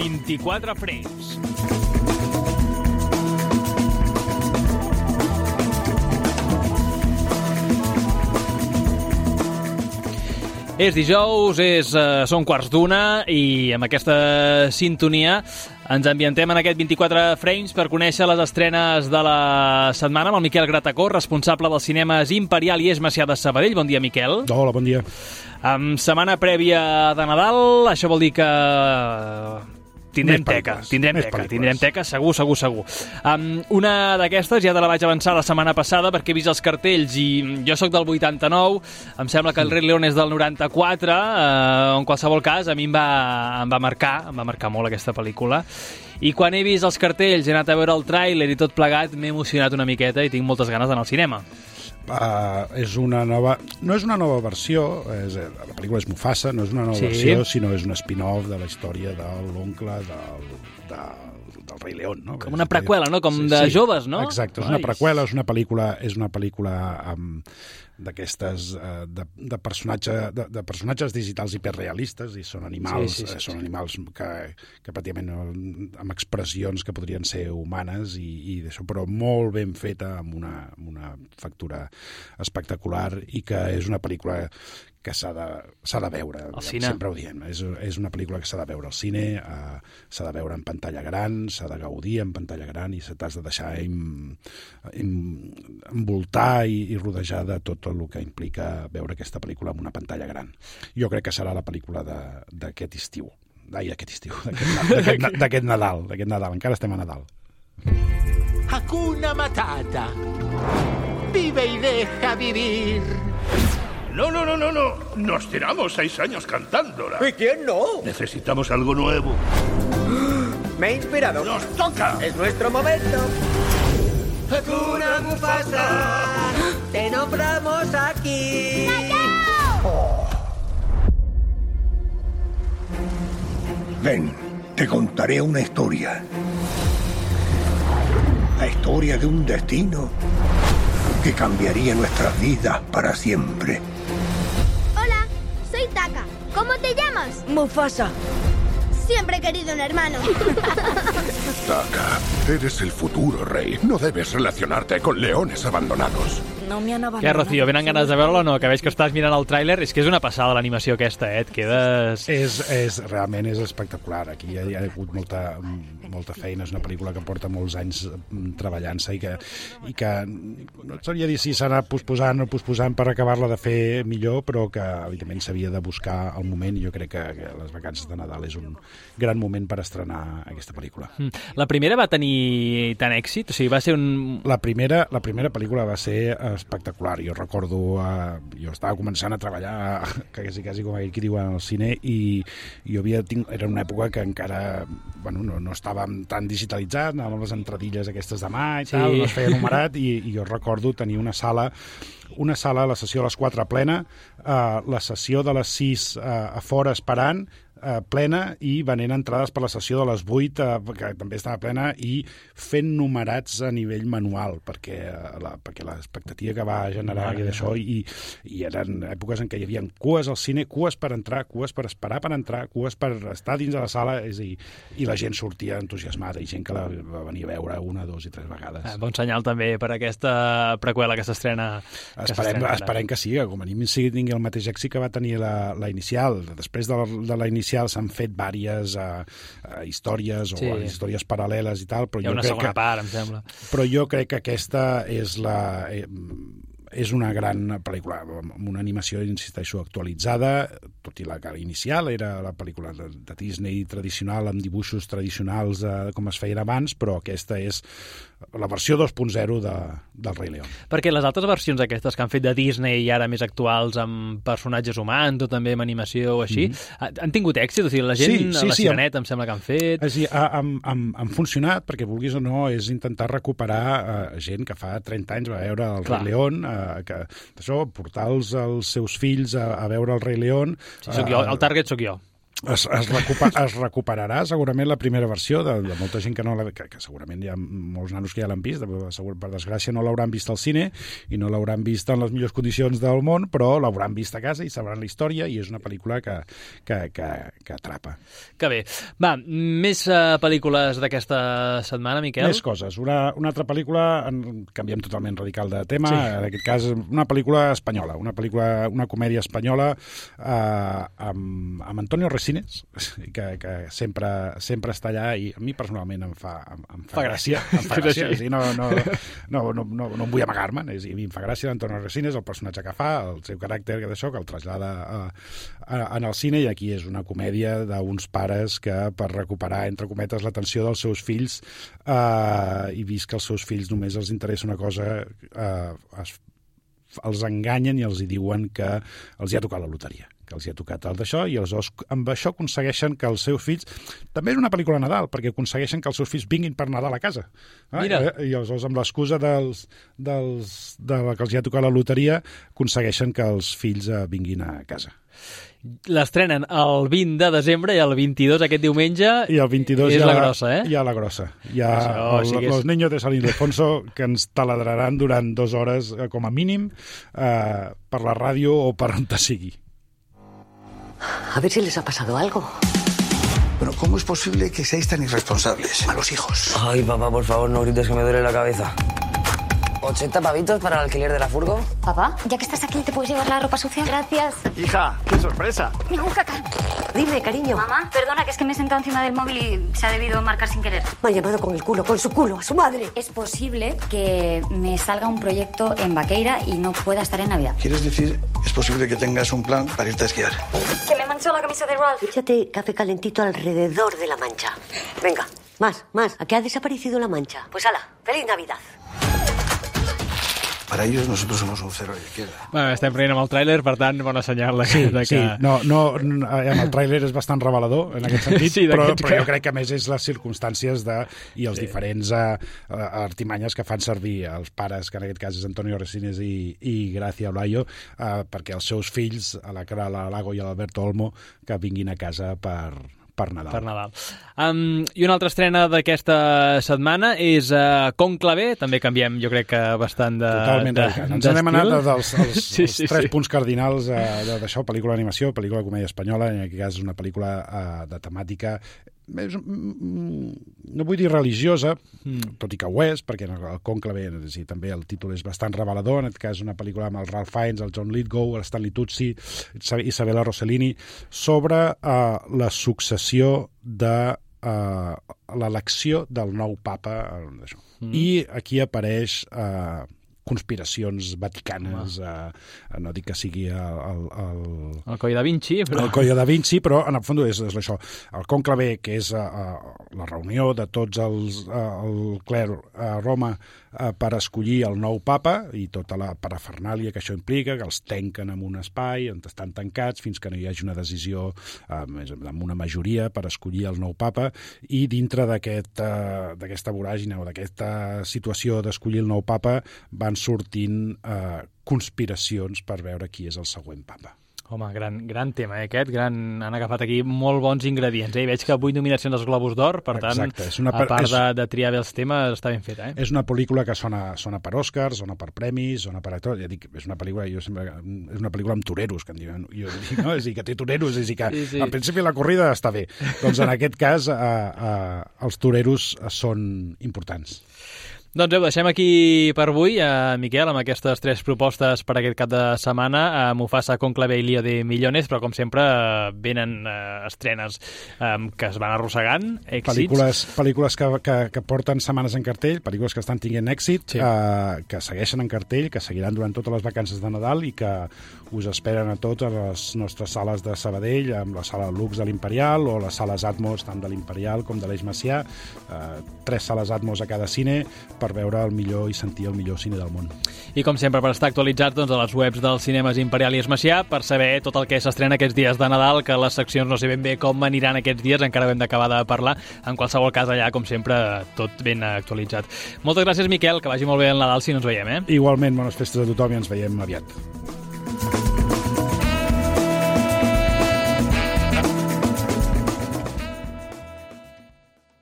24 frames. És dijous, són 1:15 i amb aquesta sintonia ens ambientem en aquest 24 frames per conèixer les estrenes de la setmana amb el Miquel Gratacó, responsable dels cinemes Imperial i Eix Macià de Sabadell. Bon dia, Miquel. Hola, bon dia. Setmana prèvia de Nadal, això vol dir que tindrem teca, segur. Una d'aquestes ja te la vaig avançar la setmana passada perquè he vist els cartells i jo sóc del 89, em sembla que el Rei León és del 94, en qualsevol cas a mi em va marcar molt aquesta pel·lícula. I quan he vist els cartells, he anat a veure el tràiler i tot plegat, m'he emocionat una miqueta i tinc moltes ganes d'anar al cinema. No és una nova versió, la pel·lícula és Mufasa, no és una nova versió, sinó és un spin-off de la història de l'oncle del Rei León, no? Com una preqüela, no? Com de joves, no? Exacte, és una preqüela, és una pel·lícula d'aquestes de personatges digitals hiperrealistes, i són animals, són animals que pràcticament amb expressions que podrien ser humanes i d'això, però molt ben feta, amb una factura espectacular, i que és una pel·lícula que s'ha de veure, sempre ho diem, és una pel·lícula que s'ha de veure al cine, s'ha de veure en pantalla gran, s'ha de gaudir en pantalla gran i t'has de deixar envoltar i rodejar de tot el que implica veure aquesta pel·lícula en una pantalla gran. Jo crec que serà la pel·lícula d'aquest Nadal, encara estem a Nadal. Hakuna Matata. Vive y deja vivir. No. Nos tiramos 6 años cantándola. ¿Y quién no? Necesitamos algo nuevo. Me he inspirado. ¡Nos toca! Es nuestro momento. Hakuna Mufasa. Te nombramos aquí. Oh. Ven, te contaré una historia. La historia de un destino que cambiaría nuestras vidas para siempre. Hola, soy Taka. ¿Cómo te llamas? Mufasa. Siempre he querido un hermano. Taka, eres el futuro rey. No debes relacionarte con leones abandonados. No me han abandonado. Què, Rocío, venen ganes de veure-la o no? Que veig que estàs mirant el tràiler. És que és una passada l'animació aquesta, et quedes... Realment és espectacular. Aquí hi ha hagut molta feina. És una pel·lícula que porta molts anys treballant-se i que no et sabria dir si s'ha anat posposant per acabar-la de fer millor, però que evidentment s'havia de buscar el moment, i jo crec que les vacances de Nadal és un gran moment per estrenar aquesta pel·lícula. La primera va tenir tant èxit? O sigui, va ser un... La primera pel·lícula va ser espectacular. Jo recordo, jo estava començant a treballar quasi com aquell que diuen al cine, i jo era una època que encara no estàvem tan digitalitzats, anàvem les entradilles aquestes de mà i tal, no es feia numerat, i jo recordo tenir una sala, la sessió a les 4 plena, la sessió de les 6 a fora esperant, plena, i venent entrades per la sessió de les 8, que també estava plena, i fent numerats a nivell manual, perquè l'expectativa que va generar d'això, i eren èpoques en què hi havia cues al cine, cues per entrar, cues per esperar per entrar, cues per estar dins de la sala, i la gent sortia entusiasmada, i gent que la va venir a veure 1, 2 i 3 vegades. Bon senyal també per aquesta preqüela que s'estrena. Esperem que sí, que com a mínim tingui el mateix èxit que va tenir la inicial. Després de la inicial s'han fet diverses històries o històries paral·leles i tal, però hi ha una segona part, em sembla. Però jo crec que aquesta és una gran pel·lícula, amb una animació, insisteixo, actualitzada, tot i la cara inicial era la pel·lícula de Disney tradicional, amb dibuixos tradicionals com es feien abans, però aquesta és la versió 2.0 del Rei León. Perquè les altres versions aquestes que han fet de Disney i ara més actuals amb personatges humans o també amb animació o així, han tingut èxit? O sigui, la gent, la Sireneta em sembla que han fet... Han funcionat, perquè vulguis o no, és intentar recuperar gent que fa 30 anys va veure el Rei León, portar els seus fills a veure el Rei León... Sí, el target sóc jo. Es recuperarà segurament la primera versió de molta gent que no que segurament hi ha molts nanos que ja l'han vist, per desgràcia no l'hauran vist al cine i no l'hauran vist en les millors condicions del món, però l'hauran vist a casa i sabran la història i és una pel·lícula que atrapa. Que bé. Va, més pel·lícules d'aquesta setmana, Miquel? Més coses. Una altra pel·lícula, canviem totalment radical de tema, en aquest cas una pel·lícula espanyola, una comèdia espanyola amb Antonio Resines, que sempre està allà i a mi personalment em fa gràcia. Em fa gràcia. Sí, no em vull amagar-me. A mi em fa gràcia Antonio Resines, el personatge que fa, el seu caràcter, que el trasllada en el cine, i aquí és una comèdia d'uns pares que per recuperar, entre cometes, l'atenció dels seus fills i vist que els seus fills només els interessa una cosa, els enganyen i els hi diuen que els hi ha tocat la loteria, que els hi ha tocat el d'això, i aleshores amb això aconsegueixen que els seus fills... També és una pel·lícula de Nadal, perquè aconsegueixen que els seus fills vinguin per Nadal a casa. Mira. I aleshores, amb l'excusa de que els hi ha tocat la loteria, aconsegueixen que els fills vinguin a casa. L'estrenen el 20 de desembre i el 22, aquest diumenge, i el 22 és la grossa, eh? Hi ha la grossa. Hi ha los niños de San Ildefonso que ens taladraran durant 2 hores, com a mínim, per la ràdio o per on te sigui. A ver si les ha pasado algo. Pero ¿cómo es posible que seáis tan irresponsables? Malos hijos. Ay, papá, por favor, no grites que me duele la cabeza. 80 pavitos para el alquiler de la furgo. Papá, ya que estás aquí, ¿te puedes llevar la ropa sucia? Gracias. Hija, qué sorpresa. Ningún caca. Dime, cariño. Mamá, perdona, que es que me he sentado encima del móvil y se ha debido marcar sin querer. Me ha llamado con su culo, a su madre. Es posible que me salga un proyecto en Vaqueira y no pueda estar en Navidad. ¿Quieres decir, es posible que tengas un plan para irte a esquiar? Que me manchó la camisa de Ralph. Échate café calentito alrededor de la mancha. Venga, más. ¿A qué ha desaparecido la mancha? Pues hala, ¡feliz Navidad! Para ellos nosotros somos un cero a la izquierda. Bueno, estem prenent amb el tràiler, per tant, bona senyal. Sí. El tràiler és bastant revelador en aquest sentit, sí, però jo crec que a més és les circumstàncies i els diferents artimanyes que fan servir els pares, que en aquest cas és Antonio Resines i Gracia Olayo, perquè els seus fills, a la Lago i a l'Alberto Olmo, que vinguin a casa per Nadal. I una altra estrena d'aquesta setmana és Cònclave, també canviem, jo crec que bastant Totalment d'estil. Ens hem anat dels 3 punts cardinals d'això, pel·lícula d'animació, pel·lícula de comèdia espanyola, en aquest cas és una pel·lícula de temàtica, no vull dir religiosa, tot i que ho és, perquè el Cònclave, també el títol és bastant revelador, en aquest cas una pel·lícula amb el Ralph Fiennes, el John Lithgow, el Stanley Tucci, Isabella Rossellini, sobre la successió de l'elecció del nou papa. I aquí apareix conspiracions vaticanes, no dic que sigui el Coll da Vinci, però... El Coll da Vinci, però en el fons és això. El Cònclave, que és la reunió de tots el cler a Roma per escollir el nou papa i tota la parafernàlia que això implica, que els tanquen en un espai on estan tancats fins que no hi hagi una decisió amb una majoria per escollir el nou papa, i dintre d'aquesta voràgina o d'aquesta situació d'escollir el nou papa van sortint conspiracions per veure qui és el següent papa. Home, gran tema, aquest. Han agafat aquí molt bons ingredients. Veig que 8 nominacions als Globus d'Or, per tant, a part de triar bé els temes, està ben feta. És una pel·lícula que sona per Oscars, sona per premis, sona per actors. Ja dic, és una pel·lícula, és una pel·lícula amb toreros, que en diuen. Jo dic, no? És a dir, que té toreros, és a dir, que al principi la corrida està bé. Doncs en aquest cas, els toreros són importants. Doncs ho deixem aquí per avui, Miquel, amb aquestes 3 propostes per aquest cap de setmana, Mufasa, Cònclave i Lío de Millones, però com sempre venen estrenes que es van arrossegant, èxits. Pel·lícules que porten setmanes en cartell, pel·lícules que estan tinguent èxit, que segueixen en cartell, que seguiran durant totes les vacances de Nadal i que us esperen a tots a les nostres sales de Sabadell, amb la sala Lux de l'Imperial o les sales Atmos, tant de l'Imperial com de l'Eix Macià, 3 sales Atmos a cada cine, per veure el millor i sentir el millor cine del món. I com sempre, per estar actualitzats a les webs dels cinemes Imperial i Eix Macià, per saber tot el que s'estrena aquests dies de Nadal, que les seccions no sé ben bé com aniran aquests dies, encara ho hem d'acabar de parlar. En qualsevol cas, allà, com sempre, tot ben actualitzat. Moltes gràcies, Miquel, que vagi molt bé el Nadal si no ens veiem, Igualment, bones festes a tothom i ens veiem aviat.